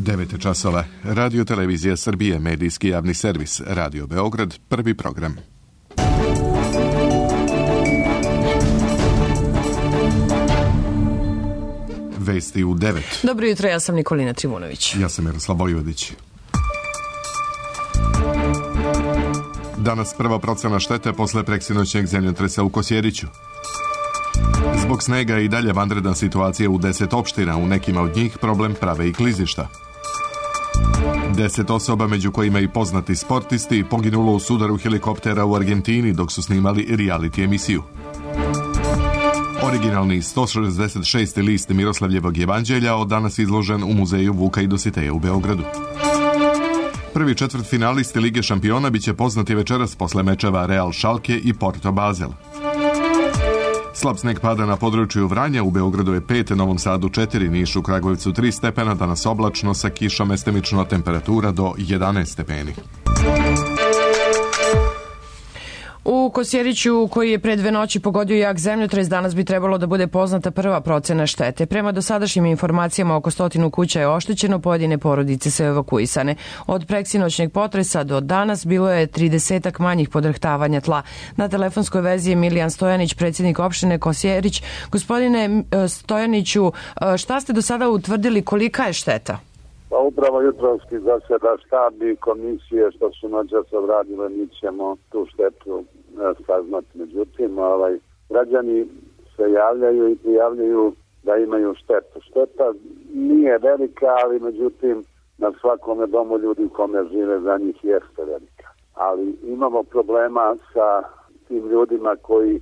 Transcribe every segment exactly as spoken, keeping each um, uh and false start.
devet časova. Radio Televizija Srbije, medijski javni servis, Radio Beograd, prvi program. Vesti u devet. Dobro jutro, ja sam Nikolina Trivunović. Ja sam Miroslav Vojvodić. Danas prva procena štete posle preksinoćnjeg zemljotresa u Kosjeriću. Zbog snega i dalje vanredna situacija u deset opština, u nekima od njih problem prave i klizišta. Deset osoba, među kojima i poznati sportisti, poginulo u sudaru helikoptera u Argentini dok su snimali reality emisiju. Originalni sto šezdeset šesti list Miroslavljevog evanđelja od danas izložen u muzeju Vuka i Dositeja u Beogradu. Prvi četvrtfinalisti Lige šampiona biće poznati večeras posle mečeva Real Schalke i Porto Basel. Slab sneg pada na području Vranja, u Beogradu je pet, Novom Sadu četiri, Nišu, Kragujevcu tri stepena, danas oblačno sa kišom, mestimično temperatura do jedanaest stepeni. U Kosjeriću, koji je pre dve noći pogodio jak zemljotres, danas bi trebalo da bude poznata prva procena štete. Prema dosadašnjim informacijama, oko stotinu kuća je oštećeno, pojedine porodice su evakuisane. Od preksinoćnjeg potresa do danas bilo je tridesetak manjih podrhtavanja tla. Na telefonskoj vezi je Milijan Stojanić, predsjednik opštine Kosjerić. Gospodine Stojaniću, šta ste do sada utvrdili, kolika je šteta? Pa upravo jutrovski zaseda štab i komisije što su noćas obradile, mi ćemo tu štetu saznati. Međutim, ovaj, građani se javljaju i prijavljaju da imaju štetu. Šteta nije velika, ali međutim na svakome domu ljudi u kome žive za njih jeste velika. Ali imamo problema sa tim ljudima koji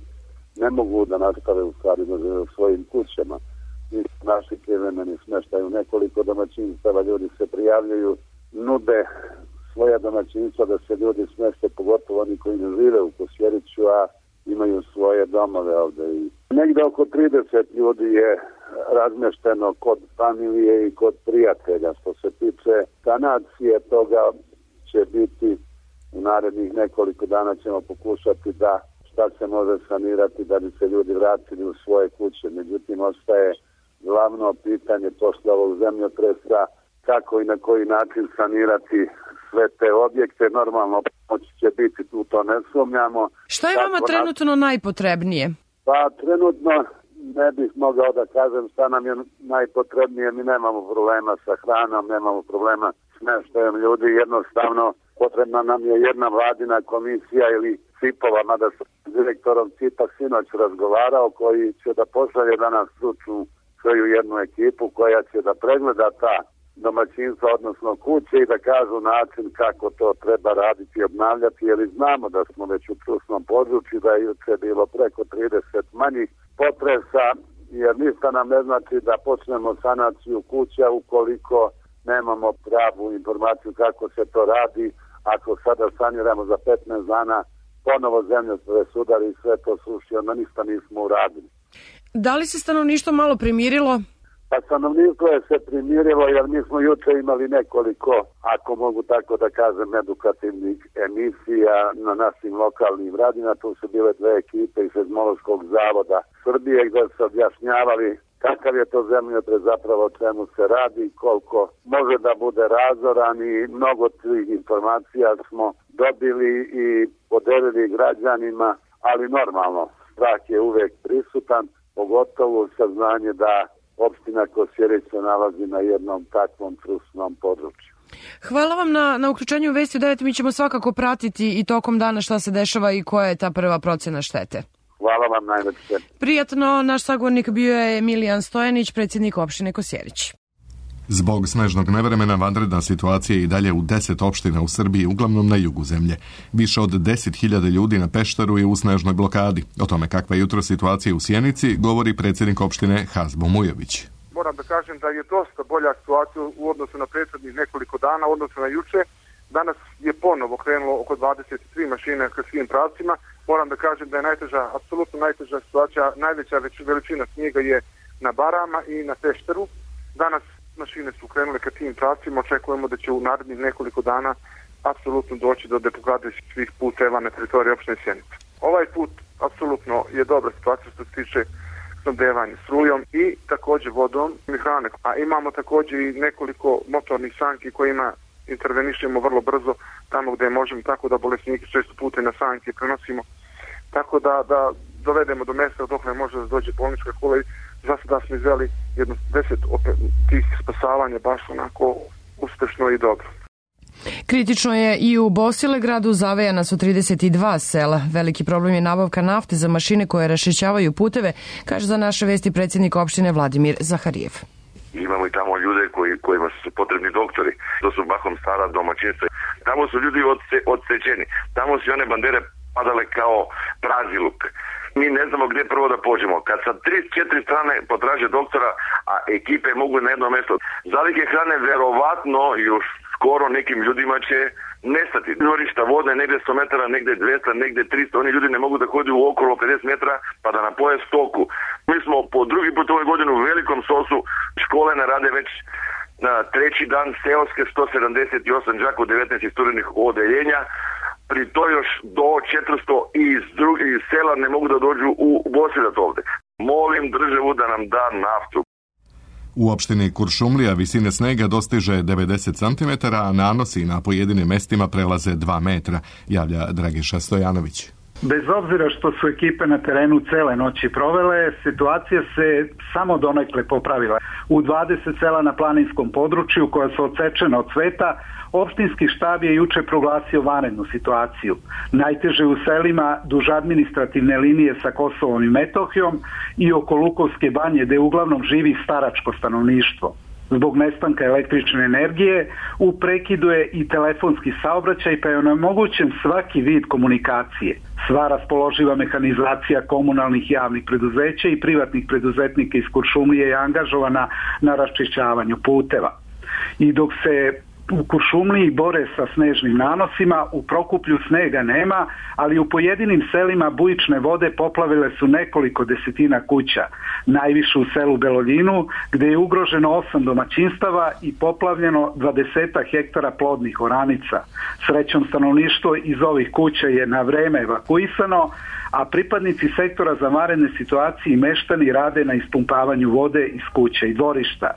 ne mogu da nastave u stvari da žive u svojim kućama. Naši privremeni smještaju nekoliko domaćinstava, ljudi se prijavljuju, nude svoja domaćinstva da se ljudi smjeste, pogotovo oni koji ne žive u Kosjeriću, a imaju svoje domove ovde. I negde oko trideset ljudi je razmješteno kod familije i kod prijatelja. Što se tiče sanacije, toga će biti u narednih nekoliko dana, ćemo pokušati da šta se može sanirati da bi se ljudi vratili u svoje kuće. Međutim, ostaje glavno pitanje posle ovog zemljotresa, kako i na koji način sanirati sve te objekte. Normalno pomoć će biti, tu to ne sumnjamo. Šta je vama trenutno nas... najpotrebnije? Pa trenutno ne bih mogao da kažem šta nam je najpotrebnije. Mi nemamo problema sa hranom, nemamo problema s smještajem ljudi. Jednostavno potrebna nam je jedna vladina komisija ili cipova, mada sam s direktorom cipa sinoć razgovarao, koji će da pošalje danas stručnu svoju jednu ekipu koja će da pregleda ta domaćinstva, odnosno kuće, i da kažu način kako to treba raditi i obnavljati, jer znamo da smo već u trusnom području, da je juče bilo preko trideset manjih potresa, jer ništa nam ne znači da počnemo sanaciju kuća ukoliko nemamo pravu informaciju kako se to radi. Ako sada saniramo za petnaest dana, ponovo zemljotres udari i sve to sruši, onda ništa nismo uradili. Da li se stanovništvo malo primirilo? Pa stanovništvo je se primirilo, jer mi smo juče imali nekoliko, ako mogu tako da kažem, edukativnih emisija na našim lokalnim radijima. Tu su bile dve ekipe iz Seizmološkog zavoda Srbije gdje se objašnjavali kakav je to zemljotres, zapravo o čemu se radi, koliko može da bude razoran, i mnogo tih informacija smo dobili i podelili građanima, ali normalno, strah je uvek prisutan, pogotovo saznanje da opština Kosjerić se nalazi na jednom takvom trusnom području. Hvala vam na, na uključenju Vesti u devet. Mi ćemo svakako pratiti i tokom dana šta se dešava i koja je ta prva procena štete. Hvala vam najveće. Prijatno, naš sagovornik bio je Milijan Stojanić, predsjednik opštine Kosjerić. Zbog snežnog nevremena vanredna situacija je i dalje u deset opština u Srbiji, uglavnom na jugu zemlje. Više od deset hiljada ljudi na Peštaru je u snežnoj blokadi. O tome kakva je jutro situacija u Sjenici govori predsjednik opštine Hazbo Mujović. Moram da kažem da je dosta bolja situacija u odnosu na prethodnih nekoliko dana, u odnosu na juče. Danas je ponovo krenulo oko dvadeset tri mašine ka svim pravcima. Moram da kažem da je najteža, apsolutno najteža situacija, najveća veličina snijega je na Barama i na Peštaru. Danas mašine su krenule ka tim pravcima, očekujemo da će u narednih nekoliko dana apsolutno doći do deblokade svih puteva na teritoriji opštine Sjenica. Ovaj put apsolutno je dobra situacija što se tiče snabdevanje strujom i također vodom i hrane. A imamo također i nekoliko motornih sanki kojima intervenišemo vrlo brzo tamo gdje možemo, tako da bolesniki često puta na sanke prenosimo, tako da, da dovedemo do mjesta dok ne može da dođe bolnička kola. Za sada smo izveli jedno deset tih spasavanja baš onako uspešno i dobro. Kritično je i u Bosilegradu, zavejana su trideset dva sela. Veliki problem je nabavka nafte za mašine koje raščišćavaju puteve, kaže za naše vesti predsjednik opštine Vladimir Zaharijev. Imamo i tamo ljude koji, kojima su potrebni doktori. To su bahom stara domaćinstva. Tamo su ljudi odse, odsečeni. Tamo su one bandere padale kao prazi luk. Mi ne znamo gdje prvo da pođemo. Kad sa tri, četiri strane potraže doktora, a ekipe mogu na jedno mjesto. Zalihe hrane verovatno još skoro nekim ljudima će nestati. Dvorišta vode negdje sto metara, negdje dvesta, negdje tristo. Oni ljudi ne mogu da hodi u okolo pedeset metara pa da napoje stoku. Mi smo po drugi put ove godine u velikom sosu, škole ne rade već na treći dan, seoske sto sedamdeset osam đaka u devetnaest isturenih odeljenja. Pri to još do četiristo iz drugih sela ne mogu da dođu u Bosilegrad ovde. Molim državu da nam da naftu. U opštini Kuršumlija visine snega dostiže devedeset centimetara, a nanosi na pojedinim mestima prelaze dva metra, javlja Dragiša Stojanović. Bez obzira što su ekipe na terenu cele noći provele, situacija se samo donekle popravila. U dvadeset sela na planinskom području koja su odsečena od sveta, opštinski štab je juče proglasio vanrednu situaciju. Najteže u selima duž administrativne linije sa Kosovom i Metohijom i oko Lukovske banje, gde uglavnom živi staračko stanovništvo. Zbog nestanka električne energije u prekidu je i telefonski saobraćaj, pa je onemogućen svaki vid komunikacije. Sva raspoloživa mehanizacija komunalnih javnih preduzeća i privatnih preduzetnika iz Kuršumlije je angažovana na raščišćavanju puteva. I dok se u Kuršumliji bore sa snežnim nanosima, u Prokuplju snega nema, ali u pojedinim selima bujične vode poplavile su nekoliko desetina kuća. Najviše u selu Beloljinu, gde je ugroženo osam domaćinstava i poplavljeno dvadeset hektara plodnih oranica. Srećom, stanovništvo iz ovih kuća je na vreme evakuisano, a pripadnici sektora za vanredne situacije i meštani rade na ispumpavanju vode iz kuća i dvorišta.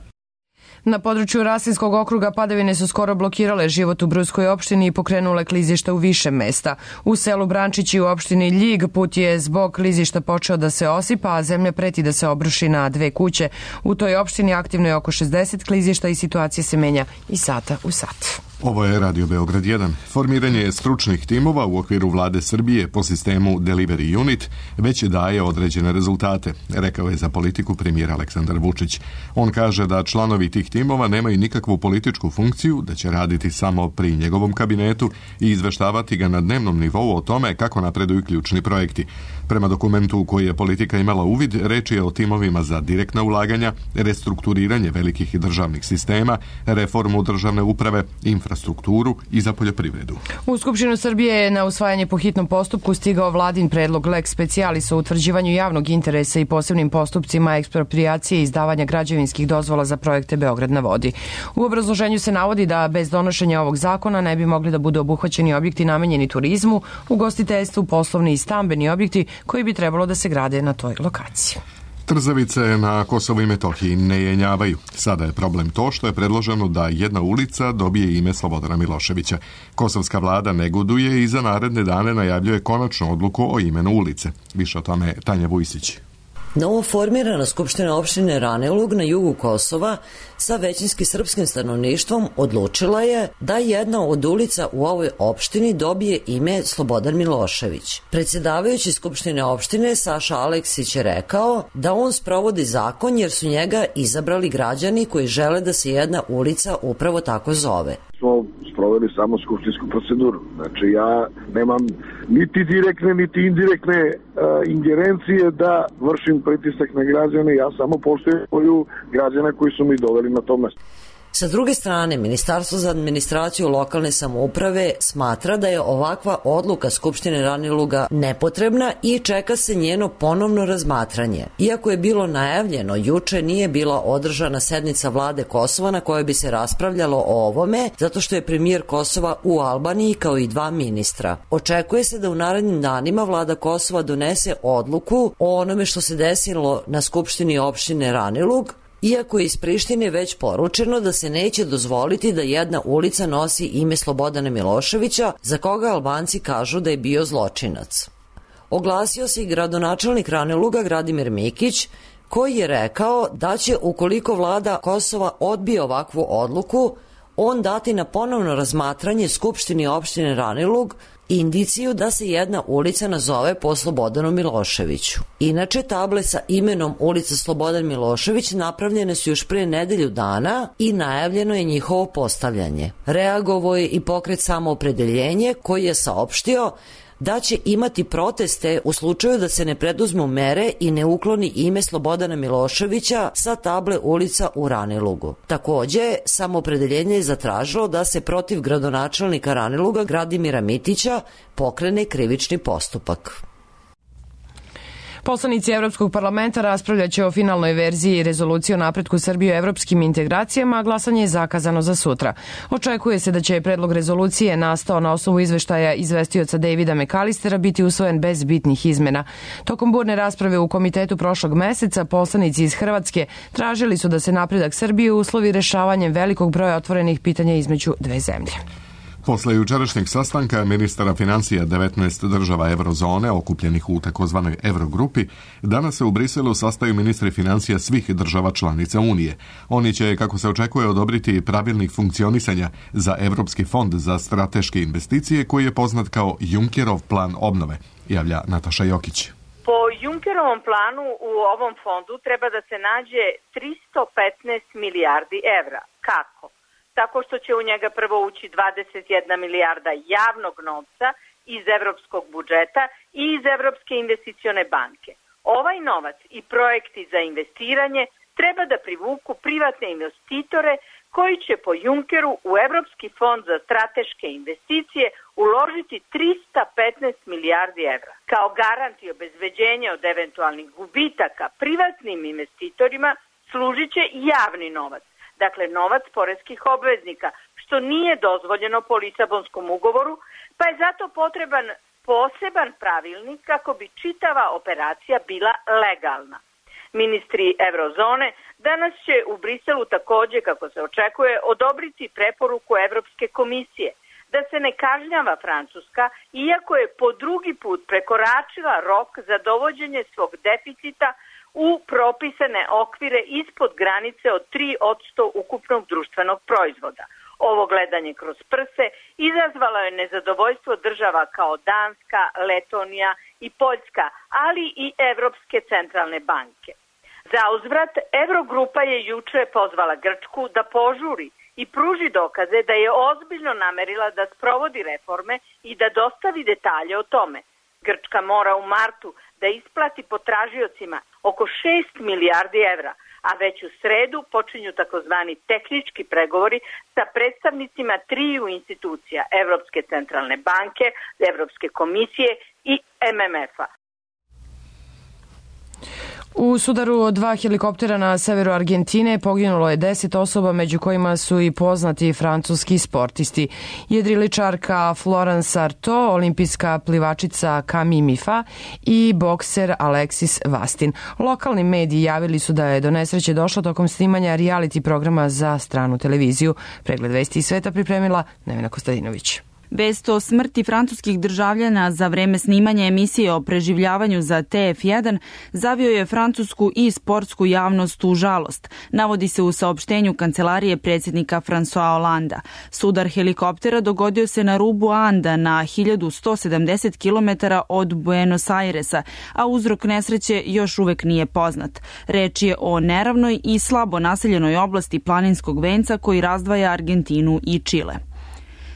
Na području Rasinskog okruga padavine su skoro blokirale život u Brujskoj opštini i pokrenule klizišta u više mesta. U selu Brančići u opštini Ljig put je zbog klizišta počeo da se osipa, a zemlja preti da se obruši na dve kuće. U toj opštini aktivno je oko šezdeset klizišta i situacija se menja iz sata u sat. Ovo je Radio Beograd jedan. Formiranje stručnih timova u okviru vlade Srbije po sistemu Delivery Unit već daje određene rezultate, rekao je za politiku premijer Aleksandar Vučić. On kaže da članovi tih timova nemaju nikakvu političku funkciju, da će raditi samo pri njegovom kabinetu i izveštavati ga na dnevnom nivou o tome kako napreduju ključni projekti. Prema dokumentu u koji je politika imala uvid, reč je o timovima za direktna ulaganja, restrukturiranje velikih državnih sistema, reformu državne uprave, infrastrukturu i za poljoprivredu. U Skupštinu Srbije je na usvajanje po hitnom postupku stigao vladin predlog lex specialis o utvrđivanju javnog interesa i posebnim postupcima eksproprijacije i izdavanja građevinskih dozvola za projekte Beograd na vodi. U obrazloženju se navodi da bez donošenja ovog zakona ne bi mogli da budu obuhvaćeni objekti namenjeni turizmu, ugostiteljstvu, poslovni i stambeni objekti koji bi trebalo da se grade na toj lokaciji. Trzavice na Kosovu i Metohiji ne jenjavaju. Sada je problem to što je predloženo da jedna ulica dobije ime Slobodana Miloševića. Kosovska vlada negoduje i za naredne dane najavljuje konačnu odluku o imenu ulice. Više o tome Tanja Vujsić. Novo formirana Skupština opštine Raneulog na jugu Kosova sa većinski srpskim stanovništvom odlučila je da jedna od ulica u ovoj opštini dobije ime Slobodan Milošević. Predsjedavajući Skupštine opštine Saša Aleksić je rekao da on sprovodi zakon jer su njega izabrali građani koji žele da se jedna ulica upravo tako zove. Smo sproveli samo skupštinsku proceduru. Znači ja nemam niti direktne, niti indirektne uh, ingerencije da vršim pritisak na građane, ja samo poštujem svoju građana koji su mi doveli na to mesto. Sa druge strane, Ministarstvo za administraciju lokalne samouprave smatra da je ovakva odluka Skupštine Raniluga nepotrebna i čeka se njeno ponovno razmatranje. Iako je bilo najavljeno, juče nije bila održana sednica vlade Kosova na kojoj bi se raspravljalo o ovome, zato što je premijer Kosova u Albaniji kao i dva ministra. Očekuje se da u narednim danima vlada Kosova donese odluku o onome što se desilo na Skupštini opštine Ranilug, iako je iz Prištine već poručeno da se neće dozvoliti da jedna ulica nosi ime Slobodana Miloševića, za koga Albanci kažu da je bio zločinac. Oglasio se i gradonačelnik Raniluga Gradimir Mikić, koji je rekao da će, ukoliko vlada Kosova odbije ovakvu odluku, on dati na ponovno razmatranje Skupštini opštine Ranilug indiciju da se jedna ulica nazove po Slobodanu Miloševiću. Inače, table sa imenom ulica Slobodan Milošević napravljene su još pre nedelju dana i najavljeno je njihovo postavljanje. Reagovao je i pokret Samoopredeljenje, koji je saopštio da će imati proteste u slučaju da se ne preduzmu mere i ne ukloni ime Slobodana Miloševića sa table ulica u Ranilugu. Takođe, Samoopredeljenje je zatražilo da se protiv gradonačelnika Raniluga Gradimira Mitića pokrene krivični postupak. Poslanici Evropskog parlamenta raspravljaće o finalnoj verziji rezolucije o napretku Srbije u evropskim integracijama, a glasanje je zakazano za sutra. Očekuje se da će predlog rezolucije nastao na osnovu izveštaja izvestioca Davida McAllistera biti usvojen bez bitnih izmena. Tokom burne rasprave u komitetu prošlog meseca, poslanici iz Hrvatske tražili su da se napredak Srbije uslovi rešavanjem velikog broja otvorenih pitanja između dve zemlje. Posle jučerašnjeg sastanka ministara financija devetnaest država eurozone okupljenih u takozvanoj Eurogrupi, danas se u Briselu sastaju ministri financija svih država članica Unije. Oni će, kako se očekuje, odobriti pravilnik funkcionisanja za Evropski fond za strateške investicije, koji je poznat kao Junckerov plan obnove, javlja Nataša Jokić. Po Junckerovom planu u ovom fondu treba da se nađe tristo petnaest milijardi evra. Kako? Tako što će u njega prvo ući dvadeset jedna milijarda javnog novca iz evropskog budžeta i iz Evropske investicione banke. Ovaj novac i projekti za investiranje treba da privuku privatne investitore koji će po Junckeru u Evropski fond za strateške investicije uložiti tristo petnaest milijardi evra. Kao garant i obezbeđenje od eventualnih gubitaka privatnim investitorima služit će javni novac. Dakle, novac poreskih obveznika, što nije dozvoljeno po Lisabonskom ugovoru, pa je zato potreban poseban pravilnik kako bi čitava operacija bila legalna. Ministri Eurozone danas će u Briselu takođe, kako se očekuje, odobriti preporuku Evropske komisije da se ne kažnjava Francuska, iako je po drugi put prekoračila rok za dovođenje svog deficita u propisane okvire ispod granice od tri posto ukupnog društvenog proizvoda. Ovo gledanje kroz prse izazvalo je nezadovoljstvo država kao Danska, Letonija i Poljska, ali i Evropske centralne banke. Za uzvrat, Eurogrupa je juče pozvala Grčku da požuri i pruži dokaze da je ozbiljno namerila da sprovodi reforme i da dostavi detalje o tome. Grčka mora u martu da isplati potražiocima oko šest milijardi evra, a već u sredu počinju takozvani tehnički pregovori sa predstavnicima triju institucija Evropske centralne banke, Evropske komisije i M M F-a. U sudaru od dva helikoptera na severu Argentine poginulo je deset osoba, među kojima su i poznati francuski sportisti. Jedriličarka Florence Artaud, olimpijska plivačica Camille Mifa i bokser Alexis Vastin. Lokalni mediji javili su da je do nesreće došlo tokom snimanja reality programa za stranu televiziju. Pregled vesti iz sveta pripremila Nevena Kostadinović. Vest o smrti francuskih državljana za vreme snimanja emisije o preživljavanju za T F jedan zavio je francusku i sportsku javnost u žalost, navodi se u saopštenju kancelarije predsjednika François Hollanda. Sudar helikoptera dogodio se na rubu Anda na hiljadu sto sedamdeset kilometara od Buenos Airesa, a uzrok nesreće još uvek nije poznat. Reč je o neravnoj i slabo naseljenoj oblasti planinskog venca koji razdvaja Argentinu i Čile.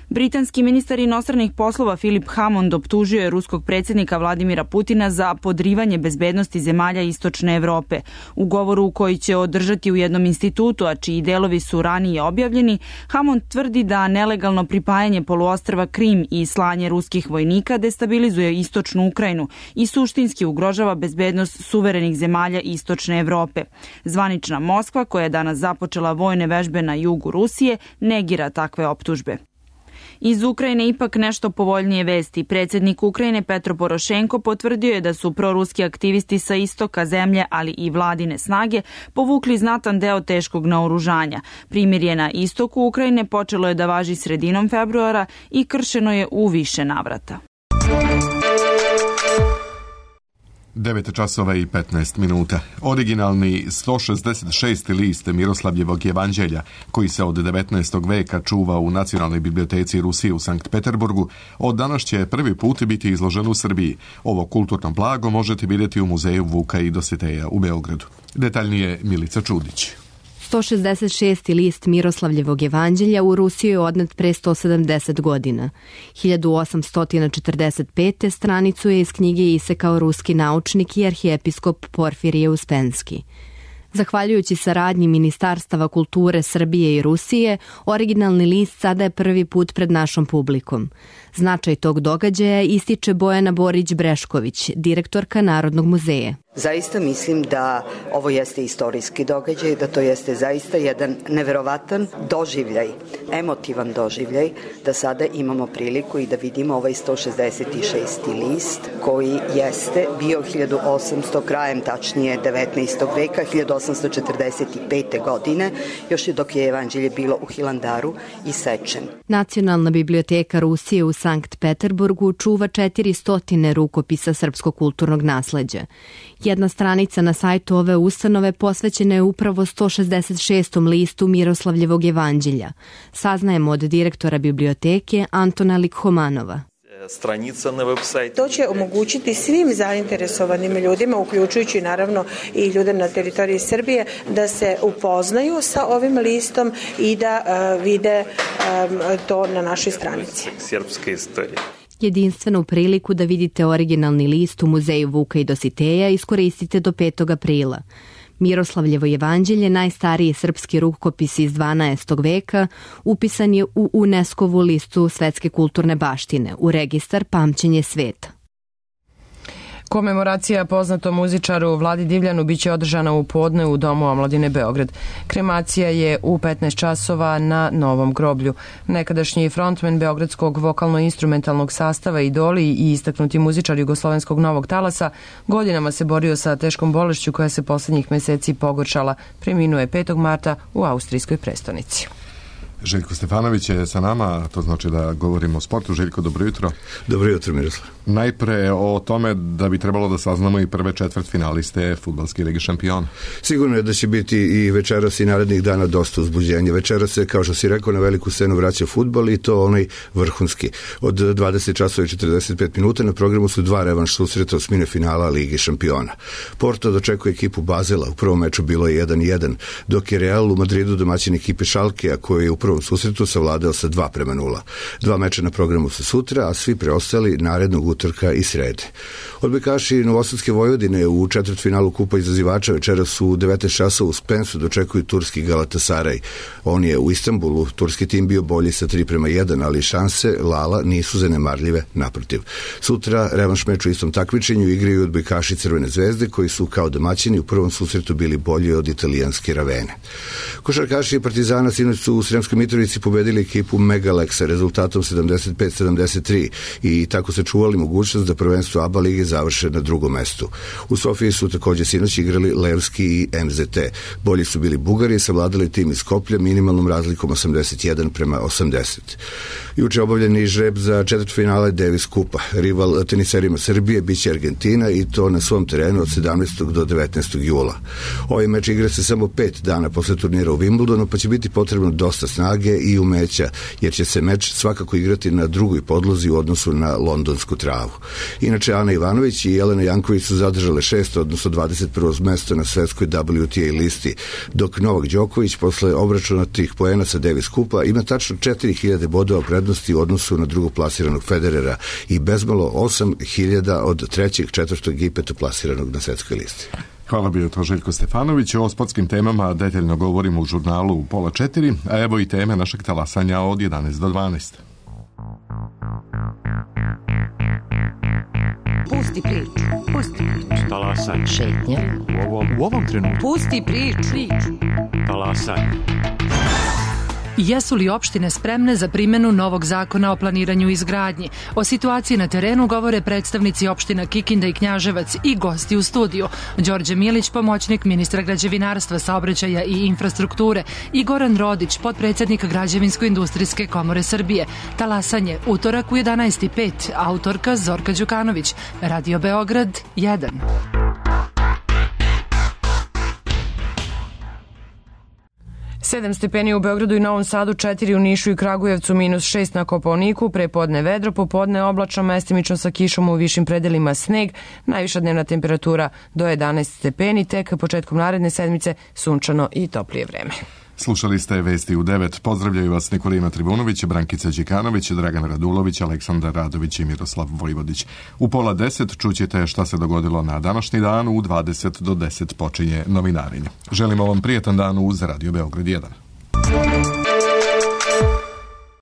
Britanski ministar inostranih poslova Philip Hammond optužio je ruskog predsjednika Vladimira Putina za podrivanje bezbednosti zemalja Istočne Evrope. U govoru koji će održati u jednom institutu, a čiji delovi su ranije objavljeni, Hammond tvrdi da nelegalno pripajanje poluostrva Krim i slanje ruskih vojnika destabilizuje istočnu Ukrajinu i suštinski ugrožava bezbednost suverenih zemalja Istočne Evrope. Zvanična Moskva, koja je danas započela vojne vežbe na jugu Rusije, negira takve optužbe. Iz Ukrajine ipak nešto povoljnije vesti. Predsjednik Ukrajine Petro Porošenko potvrdio je da su proruski aktivisti sa istoka zemlje, ali i vladine snage, povukli znatan deo teškog naoružanja. Primirje na istoku Ukrajine počelo je da važi sredinom februara i kršeno je u više navrata. devet časova i petnaest minuta. Originalni sto šezdeset šesti list Miroslavljevog evanđelja, koji se od devetnaestog veka čuva u Nacionalnoj biblioteci Rusije u Sankt Peterburgu, od danas će prvi put biti izložen u Srbiji. Ovo kulturno blago možete vidjeti u muzeju Vuka i Dositeja u Beogradu. Detaljnije Milica Čudić. sto šezdeset šesti list Miroslavljevog evanđelja u Rusiji je odnet pre sto sedamdeset godina. hiljadu osamsto četrdeset pete stranicu je iz knjige isekao ruski naučnik i arhijepiskop Porfirije Uspenski. Zahvaljujući saradnji Ministarstava kulture Srbije i Rusije, originalni list sada je prvi put pred našom publikom. Značaj tog događaja ističe Bojana Borić-Brešković, direktorka Narodnog muzeja. Zaista mislim da ovo jeste istorijski događaj, da to jeste zaista jedan neverovatan doživljaj, emotivan doživljaj, da sada imamo priliku i da vidimo ovaj sto šezdeset šesti list koji jeste bio hiljadu osamsto, krajem tačnije devetnaestog veka, hiljadu osamsto četrdeset pete. godine, još je dok je evanđelje bilo u Hilandaru isečen. Nacionalna biblioteka Rusije u Sankt Peterburgu čuva četiristo rukopisa srpskog kulturnog nasleđa. Jedna stranica na sajtu ove ustanove posvećena je upravo sto šezdeset šestom listu Miroslavljevog evanđelja. Saznajemo od direktora biblioteke Antona Likhomanova. To će omogućiti svim zainteresovanim ljudima, uključujući naravno i ljude na teritoriji Srbije, da se upoznaju sa ovim listom i da uh, vide um, to na našoj stranici. Srpska istorija. Jedinstvenu priliku da vidite originalni list u muzeju Vuka i Dositeja iskoristite do petog aprila. Miroslavljevo evanđelje, najstariji srpski rukopis iz dvanaestog veka, upisan je u UNESCO-vu listu svetske kulturne baštine, u registar Pamćenje sveta. Komemoracija poznatom muzičaru Vladi Divljanu biće održana u podne u Domu omladine Beograd. Kremacija je u petnaest časova na Novom groblju. Nekadašnji frontmen beogradskog vokalno-instrumentalnog sastava Idoli i istaknuti muzičar jugoslovenskog novog talasa godinama se borio sa teškom bolešću koja se poslednjih meseci pogoršala. Preminuo je petog marta u austrijskoj prestonici. Željko Stefanović je sa nama, to znači da govorimo o sportu. Željko, dobro jutro. Dobro jutro, Miroslav. Najpre o tome da bi trebalo da saznamo i prve četvrt finaliste Fudbalske lige šampiona. Sigurno je da će biti i večeras i narednih dana dosta uzbuđenja. Večeras se, kao što si rekao, na veliku scenu vraća fudbal i to onaj vrhunski. Od dvadeset časova i četrdeset pet minuta na programu su dva revanš susreta osmine finala Lige šampiona. Porto dočekuje ekipu Bazela, u prvom meču bilo je jedan jedan, dok je Real u Madridu domaćin ekipe Šalkea, koji je u prvom susretu savladao sa dva prema nula. Dva meča na programu su sutra, a svi preostali narednog utorka i srede. Odbojkaši Novosadske Vojvodine u četvrtfinalu Kupa izazivača večeras su u devetnaest časova u Spensu dočekuju turski Galatasaraj. On je u Istanbulu, turski tim bio bolji sa tri prema jedan, ali šanse Lala nisu zanemarljive, naprotiv. Sutra revanš meč u istom takmičenju igraju odbojkaši Crvene zvezde, koji su kao domaćini u prvom susretu bili bolji od italijanske Ravene. Košarkaši Partizana sinoć su u Sremskoj Mitrovici pobedili ekipu Megalexa rezultatom sedamdeset pet sedamdeset tri i tako se čuvali mogućnost da prvenstvo A B A lige završe na drugom mestu. U Sofiji su također sinoć igrali Levski i M Z T. Bolji su bili Bugari i savladali tim iz Skoplja minimalnom razlikom osamdeset jedan prema osamdeset. Juče obavljeni žreb za četvrtfinale Davis Kupa. Rival teniserima Srbije biće Argentina i to na svom terenu od sedamnaestog do devetnaestog jula. Ovaj meč igra se samo pet dana posle turnira u Wimbledonu, pa će biti potrebno dosta snage snage i umeća, jer će se meč svakako igrati na drugoj podlozi u odnosu na londonsku travu. Inače, Ana Ivanović i Jelena Janković su zadržale šesto, odnosno dvadeset prvo mesto na svetskoj W T A listi, dok Novak Đoković posle obračunatih poena sa Davis Kupa ima tačno četiri hiljade bodova prednosti u odnosu na drugog plasiranog Federera i bezmalo osam hiljada od trećeg, četvrtog i petoplasiranog na svetskoj listi. Hvala, bio to Željko Stefanović. O sportskim temama detaljno govorimo u žurnalu u pola četiri, a evo i teme našeg talasanja od jedanaest do dvanaest. Pusti priču. Pusti priču. Talasanje. Šetnja. U ovom, u ovom trenutku. Pusti priču. Priču. Talasanje. Jesu li opštine spremne za primjenu novog zakona o planiranju i izgradnji? O situaciji na terenu govore predstavnici opština Kikinda i Knjaževac i gosti u studiju. Đorđe Milić, pomoćnik ministra građevinarstva, saobraćaja i infrastrukture, i Goran Rodić, potpredsjednik Građevinsko-industrijske komore Srbije. Talasanje, utorak u jedanaest i pet, autorka Zorka Đukanović, Radio Beograd jedan. sedam stepeni u Beogradu i Novom Sadu, četiri u Nišu i Kragujevcu, minus šest na Kopaoniku, prepodne vedro, popodne oblačno, mestimično sa kišom, u višim predelima sneg, najviša dnevna temperatura do jedanaest stepeni, tek početkom naredne sedmice sunčano i toplije vreme. Slušali ste Vesti u devet. Pozdravljaju vas Nikolina Tribunović, Brankica Đikanović, Dragan Radulović, Aleksandar Radović i Miroslav Vojvodić. U pola deset čućete šta se dogodilo na današnji dan, u dvadeset do deset počinje novinarenje. Želimo vam prijetan dan uz Radio Beograd jedan.